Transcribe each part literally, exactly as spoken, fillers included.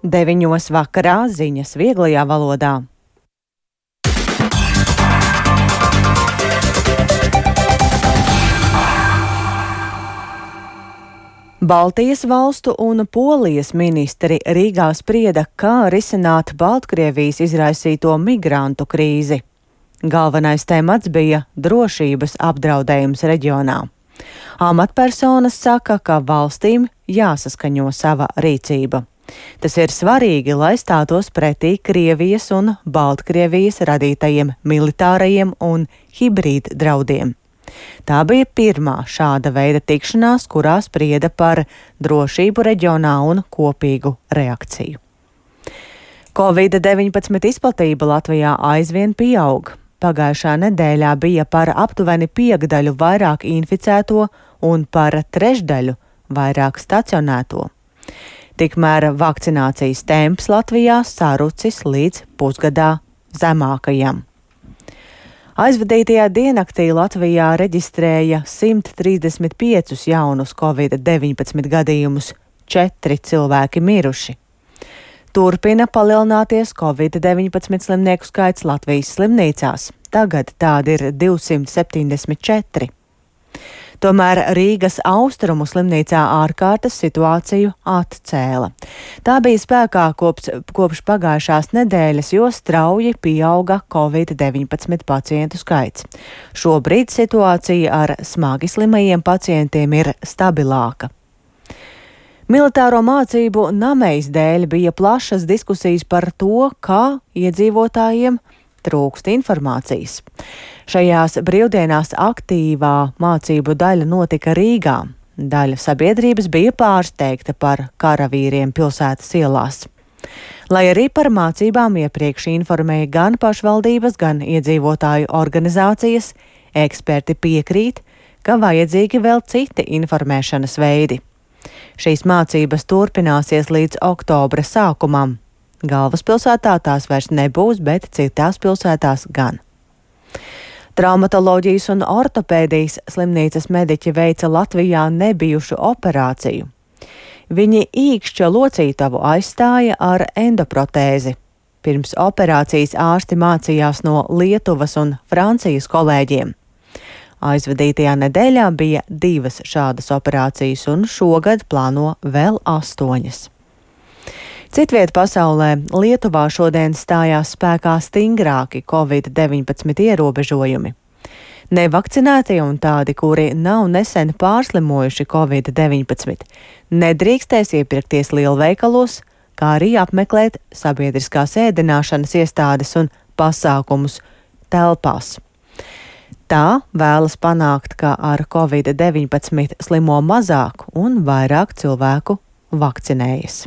Deviņos vakarā ziņas vieglajā valodā. Baltijas valstu un Polijas ministri Rīgā sprieda, kā risināt Baltkrievijas izraisīto migrantu krīzi. Galvenais temats bija drošības apdraudējums reģionā. Amatpersonas saka, ka valstīm jāsaskaņo sava rīcība. Tas ir svarīgi, lai stātos pretī Krievijas un Baltkrievijas radītajiem militārajiem un hibrīd draudiem. Tā bija pirmā šāda veida tikšanās, kurā sprieda par drošību reģionā un kopīgu reakciju. covid deviņpadsmit izplatība Latvijā aizvien pieaug. Pagājušā nedēļā bija par aptuveni piekdaļu vairāk inficēto un par trešdaļu vairāk stacionēto. Tikmēr vakcinācijas temps Latvijā sarucis līdz pusgadā zemākajam. Aizvadītajā diennaktī Latvijā reģistrēja simt trīsdesmit piecus jaunus covid deviņpadsmit gadījumus, četri cilvēki miruši. Turpina palielināties covid deviņpadsmit slimnieku skaits Latvijas slimnīcās. Tagad tādi ir divsimt septiņdesmit četri. Tomēr Rīgas Austrumu slimnīcā ārkārtas situāciju atcēla. Tā bija spēkā kopš, kopš pagājušās nedēļas, jo strauji pieauga covid deviņpadsmit pacientu skaits. Šobrīd situācija ar smagi slimajiem pacientiem ir stabilāka. Militāro mācību namejas dēļ bija plašas diskusijas par to, kā iedzīvotājiem trūkst informācijas. Šajās brīvdienās aktīvā mācību daļa notika Rīgā. Daļa sabiedrības bija pārsteigta par karavīriem pilsētas ielās. Lai arī par mācībām iepriekš informēja gan pašvaldības, gan iedzīvotāju organizācijas, eksperti piekrīt, ka vajadzīgi vēl citi informēšanas veidi. Šīs mācības turpināsies līdz oktobra sākumam. Galvaspilsētā tās vairs nebūs, bet citās pilsētās gan. Traumatoloģijas un ortopēdijas slimnīcas mediķi veica Latvijā nebijušu operāciju. Viņi īkšķa locītavu aizstāja ar endoprotēzi. Pirms operācijas ārsti mācījās no Lietuvas un Francijas kolēģiem. Aizvadītajā nedēļā bija divas šādas operācijas un šogad plāno vēl astoņas. Citviet pasaulē Lietuvā šodien stājās spēkā stingrāki covid deviņpadsmit ierobežojumi. Nevakcinētie un tādi, kuri nav nesen pārslimojuši covid deviņpadsmit, nedrīkstēs iepirkties lielveikalos, kā arī apmeklēt sabiedriskās ēdināšanas iestādes un pasākumus telpās. Tā vēlas panākt, ka ar covid deviņpadsmit slimo mazāk un vairāk cilvēku vakcinējas.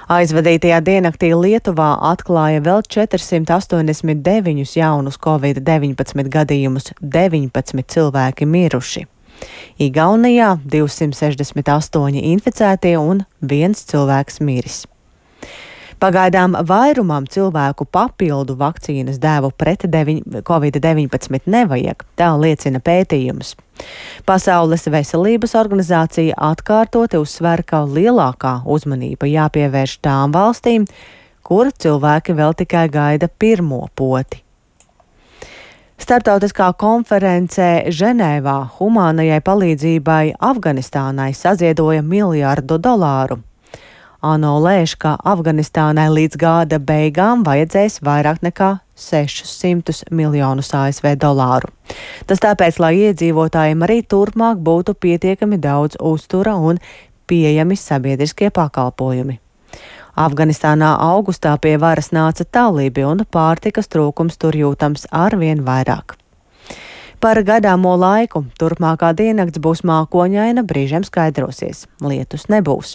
Aizvadītajā diennaktī Lietuvā atklāja vēl četrsimt astoņdesmit deviņus jaunus covid deviņpadsmit gadījumus, deviņpadsmit cilvēki miruši. Igaunijā divsimt sešdesmit astoņi inficētie un viens cilvēks miris. Pagaidām vairumam cilvēku papildu vakcīnas devu pret covid deviņpadsmit nevajag, tā liecina pētījums. Pasaules veselības organizācija atkārtoti uzsver, ka lielākā uzmanība jāpievērš tām valstīm, kur cilvēki vēl tikai gaida pirmo poti. Starptautiskā konferencē Ženēvā humānajai palīdzībai Afganistānai saziedoja miljārdu dolāru. ANO lēš, ka Afganistānai līdz gada beigām vajadzēs vairāk nekā sešsimtus miljonus A S V dolāru. Tas tāpēc, lai iedzīvotājiem arī turpmāk būtu pietiekami daudz uztura un pieejami sabiedriskie pakalpojumi. Afganistānā augustā pie varas nāca talībi un pārtikas trūkums tur jūtams arvien vairāk. Par gadāmo laiku turpmākā diennakts būs mākoņaina, brīžiem skaidrosies. Lietus nebūs.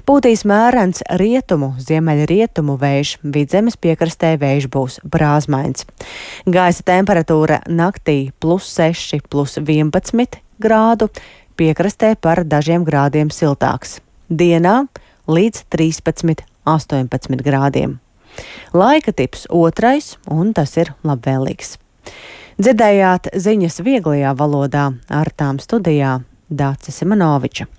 Pūtīs mērens rietumu, ziemeļrietumu vējš, Vidzemes piekrastē vējš būs brāzmains. Gaisa temperatūra naktī plus seši, plus vienpadsmit grādu, piekrastē par dažiem grādiem siltāks. Dienā līdz trīspadsmit, astoņpadsmit grādiem. Laika tips otrais, un tas ir labvēlīgs. Dzirdējāt ziņas vieglajā valodā, ar tām studijā Dācis Simonoviča.